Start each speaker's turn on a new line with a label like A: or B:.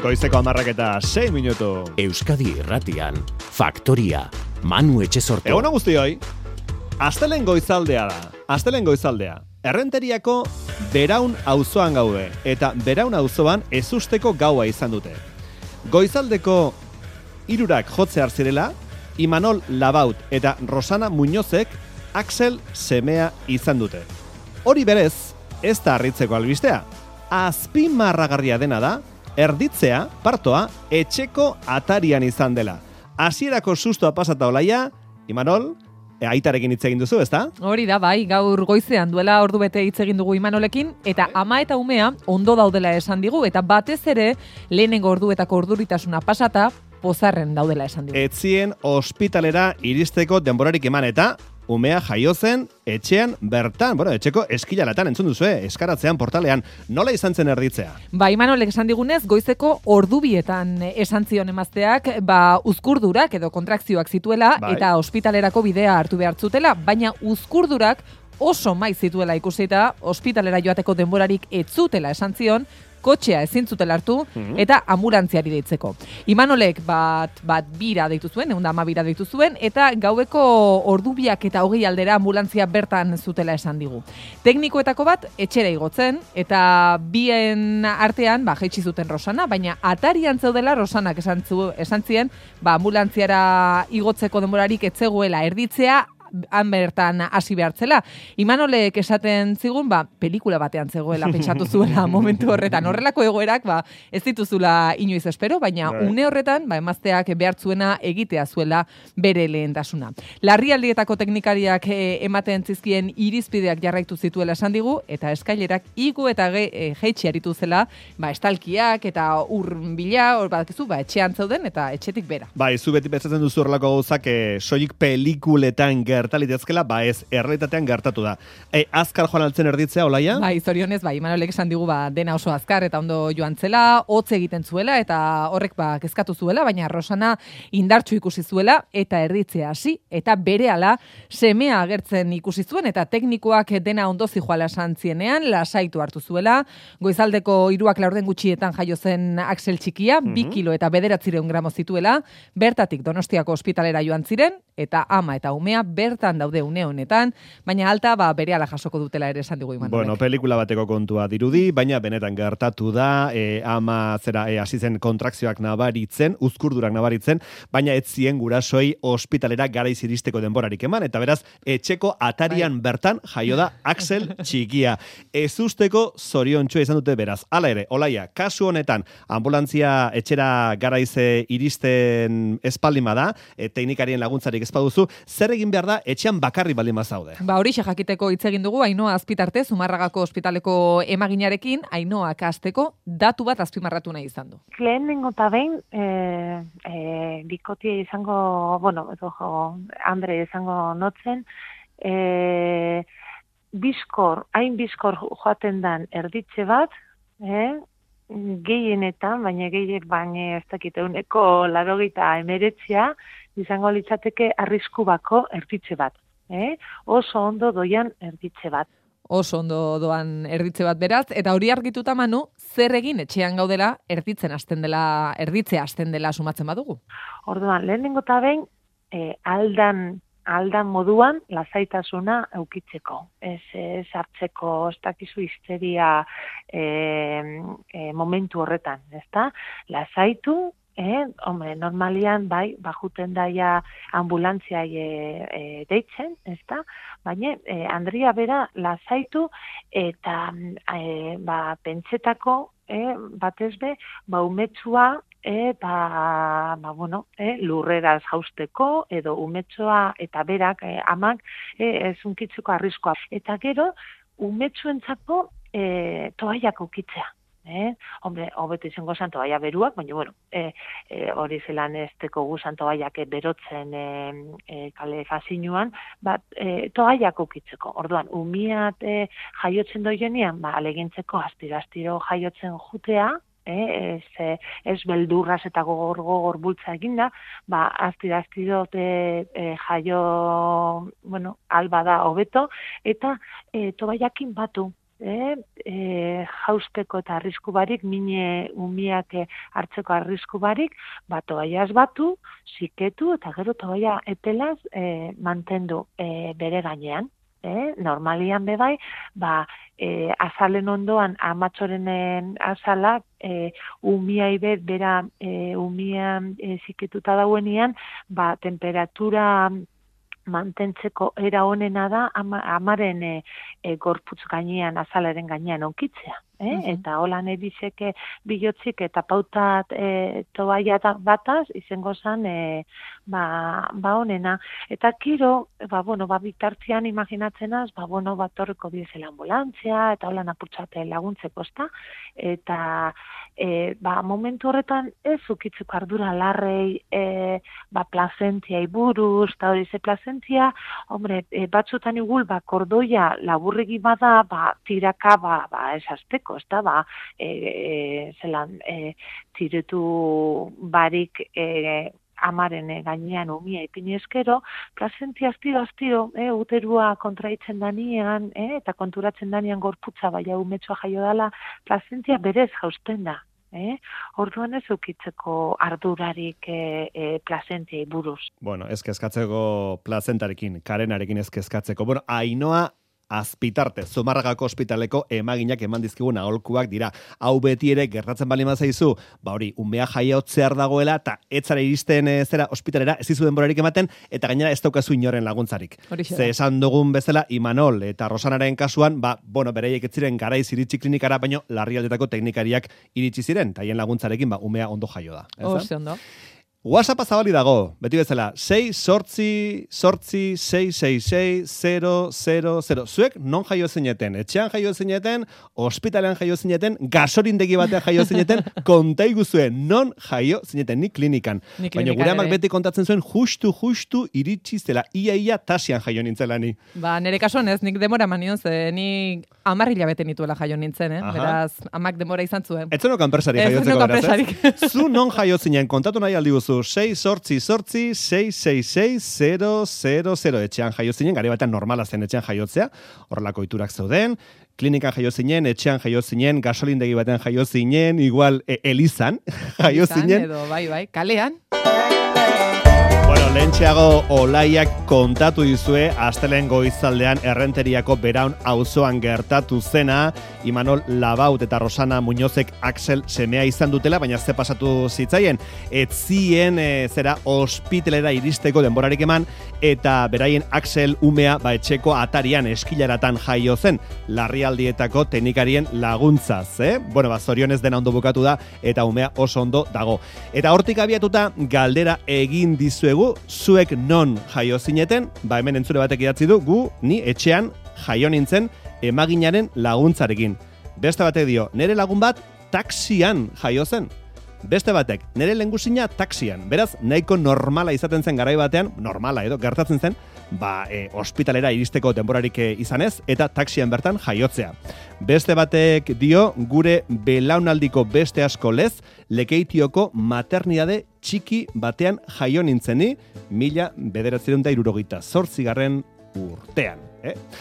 A: Goizeko 10:06.
B: Euskadi Irratian, Faktoria, Manu Etxesorto.
A: Egun guztioi, astelen goizaldea da. Astelen goizaldea. Errenteriako Beraun auzoan gaude, eta Beraun auzoan ezusteko gaua izan dute. Goizaldeko 3 jotzear zirela, Imanol Labaut eta Rosana Muñozek Axel semea izan dute. Hori berez, ez da harritzeko albistea. Azpimarragarria dena da, erditzea, partoa, etxeko atarian izan dela. Hasierako sustoa pasata olaia, Imanol, aitarekin hitz egin duzu, ezta?
C: Hori da, bai, gaur goizean duela ordu bete hitz egin dugu Imanolekin, eta ama eta umea ondo daudela esan digu, eta batez ere, lehenengo orduetako orduritasuna pasata, pozarren daudela esan digu.
A: Etzien ospitalera iristeko denborarik eman eta umea jaio zen etxean bertan, etxeko eskilalatan entzun duzue, eskaratzean portalean, nola izan zen erditzea?
C: Ba, Imanolek esan digunez, goizeko ordubietan esan zion emazteak, uzkurdurak edo kontrakzioak zituela, bai, eta ospitalerako bidea hartu behar zutela, baina uzkurdurak oso maiz zituela ikusita, ospitalera joateko denborarik ez zutela esan zion, kotxea ezin zutela hartu, eta ambulantziari deitzeko. Imanolek bat bira deitu zuen, 110 bira deitu zuen, eta gaueko ordubiak eta 20 aldera ambulantzia bertan zutela esan digu. Teknikoetako bat etxera igotzen, eta bien artean, jaitsi zuten Rosana, baina atarian zeudela Rosanak esan zien, ambulantziara igotzeko denborarik ez zegoela erditzea, han bertan hasi behartzela. Imanolek esaten zigun, pelikula batean zegoela, pentsatu zuela momentu horretan. Horrelako egoerak, ez dituzula inoiz espero, baina une horretan, emazteak behartzuena egitea zuela bere lehentasuna. Larrialdietako teknikariak ematen zizkien irizpideak jarraitu zituela esan digu, eta eskailerak igo eta jeitsi aritu zela, estalkiak eta urbila, etxean zeuden eta etxetik bera.
A: Zu beti pentsatzen duzu horrelako gauzak soilik pelikuletan gertalitezkela, ez errealitatean gertatu da. Azkar joan altzen erditzea, olaia?
C: Zorionez, Imanolek esan digu dena oso azkar eta ondo joan zela, hotz egiten zuela eta horrek kezkatu zuela, baina Rosana indartsu ikusi zuela eta erditzea hasi eta berehala semea agertzen ikusi zuen eta teknikoak dena ondo zijoala esan zienean, lasaitu hartu zuela. Goizaldeko 3 laurden gutxietan jaio zen Axel txikia, 2 kilo eta 900 gramo zituela, bertatik Donostiako ospitalera joan ziren eta ama eta umea bertan daude une honetan, baina alta berehala jasoko dutela ere esan digu Imanolek.
A: Pelikula bateko kontua dirudi, baina benetan gertatu da, ama hasi zen kontrakzioak nabaritzen, uzkurdurak nabaritzen, baina ez zien gurasoi ospitalera garaiz iristeko denborarik eman, eta beraz, etxeko atarian bertan jaio da Axel txikia. Ezusteko zoriontxua izan dute beraz. Hala ere, olaia, kasu honetan, ambulantzia etxera garaiz iristen espaldima da, teknikarien laguntzarik ezpaduzu, zer egin behar da etxean bakarri baldin bazaude?
C: Horixe jakiteko hitz egin dugu Ainhoa Azpitarte, Zumarragako ospitaleko emaginarekin, Ainhoak hasteko datu bat azpimarratu nahi izan du.
D: Lehenengo eta behin, bikotia izango, Andre izango notzen, hain bizkor joaten dan erditze bat, gehienetan, baina ez dakite, 89 izango litzateke arrisku bako erditze bat. Oso ondo doian erditze bat.
C: Oso ondo doan erditze bat beraz, eta hori argituta Manu, zer egin etxean gaudela erditzea hasten dela sumatzen badugu?
D: Orduan, lehenengo eta behin, aldan moduan lasaitasuna eukitzeko. Ez hartzeko, ez dakizu histeria momentu horretan, ezta? Lasaitu, normalian, bajuten daia ambulantziai deitzen, ezta? Baina, Andrea bera lasaitu eta pentsetako, batez be, umetsua lurreraz jausteko, edo umetsua eta berak, amak, ez unkitzeko arriskoa. Eta gero, umetsuentzako toaiak ukitzea. Hobeto izango zan toaia beruak, baina, hori zelan ez teko guzan toaiak berotzen kale fazinuan, toaiak ukitzeko. Orduan, umiat jaiotzen doienean, alegintzeko astiro jaiotzen jutea, ez beldurraz eta gogor bultza eginda, astiro jaio, alba da hobeto, eta toaiakin batu. jausteko eta arrisku barik, mine umiak hartzeko arrisku barik, toaiaz batu, ziketu eta gero toaia epelaz mantendu bere gainean. Normalian bebai, azalen ondoan, amatxorenen azalak, umia ibet, bera umia ziketuta dauenean, temperatura mantentzeko era honena da amaren gorputz gainean, azalaren gainean onkitzea. Eta holan ebizeke bilotzik eta pautat toaia bataz, izango zan, honena. Eta kiro, bitartzian imaginatzenaz, torreko bidezela ambulantzia, eta holan apurtzate laguntzeko, ezta? Eta momentu horretan ez ukitzeko ardura larrei plazentiai buruz, eta hori ze plazentia, batzutan igul, kordoia laburregi bada, tiraka, esazteko, ez da, zelan, tiretu barik amaren gainean umia ipinezkero, plazentia aztiro, uterua kontraitzen danian, eta konturatzen danian gorputza, umetsua jaio dala, plazentia berez jausten da. Orduan ez ukitzeko ardurarik plazentiai buruz.
A: Bueno, ez kezkatzeko plazentarekin, karenarekin ez kezkatzeko. Bueno, Ainoa Azpitarte, Zumarragako ospitaleko emaginak eman dizkigun aholkuak dira. Hau beti ere gertatzen bali mazaizu, umea jaiotzear dagoela, eta etzara iristen zera ospitalera, ez izu denborarik ematen, eta gainera ez daukazu inoren laguntzarik. Ze esan dugun bezala, Imanol eta Rosanaren kasuan, bereiek ez ziren garaiz iritsi klinikara, baino larrialdetako teknikariak iritsi ziren, eta hien laguntzarekin, umea ondo jaio da.
C: Oso ondo.
A: WhatsAppa zabali dago, beti bezala, 6-6-6-6-6-0-0-0. Zuek non jaio zineten? Etxean jaio zineten, ospitalean jaio zineten, gasolindegi batean jaio zineten, konta iguzue, non jaio zineten, ni klinikan. Baina gure amak beti kontatzen zuen, justu iritsi zela, ia tasian jaio nintzela ni.
C: Nere kasuan ez, nik demora manion ze, ni 10 hilabete nituela jaio nintzen, beraz, amak demora izan zuen.
A: Ez zenok anpresari jaiotzeko beraz, ez? Zu non jaio zinen, kontatu nahi aldi guzu, 6-6-6-6-6-6-0-0-0 etxean jaio zinen, gare batean normala zen etxean jaiotzea, horrelako iturak zeuden, klinikan jaio zinen, etxean jaio zinen, gasolindegi batean jaio zinen, igual elizan jaio zinen.
C: Edo, bai, kalean.
A: Bueno, lehentxeago Olaiak kontatu dizue astelen goizaldean Errenteriako Beraun auzoan gertatu zena, Imanol Labaut eta Rosana Muñozek Axel semea izan dutela, baina ze pasatu zitzaien, etzien zera ospitalera iristeko denborarik eman, eta beraien Axel umea etxeko atarian eskilaratan jaio zen, larrialdietako teknikarien laguntzaz, Bueno, zorionez dena ondo bukatu da, eta umea oso ondo dago. Eta hortik abiatuta galdera egin dizuegu, zuek non jaio zineten, hemen entzule batek idatzi du, ni etxean jaio nintzen emaginaren laguntzarekin. Beste batek dio, nere lagun bat taxian jaio zen. Beste batek, nere lehengusina taxian. Beraz, nahiko normala izaten zen garai batean, normala gertatzen zen, ospitalera iristeko denborarik izanez, eta taxian bertan jaiotzea. Beste batek dio, gure belaunaldiko beste asko lez, Lekeitioko maternidade txiki batean jaio nintzeni, 1978 urtean.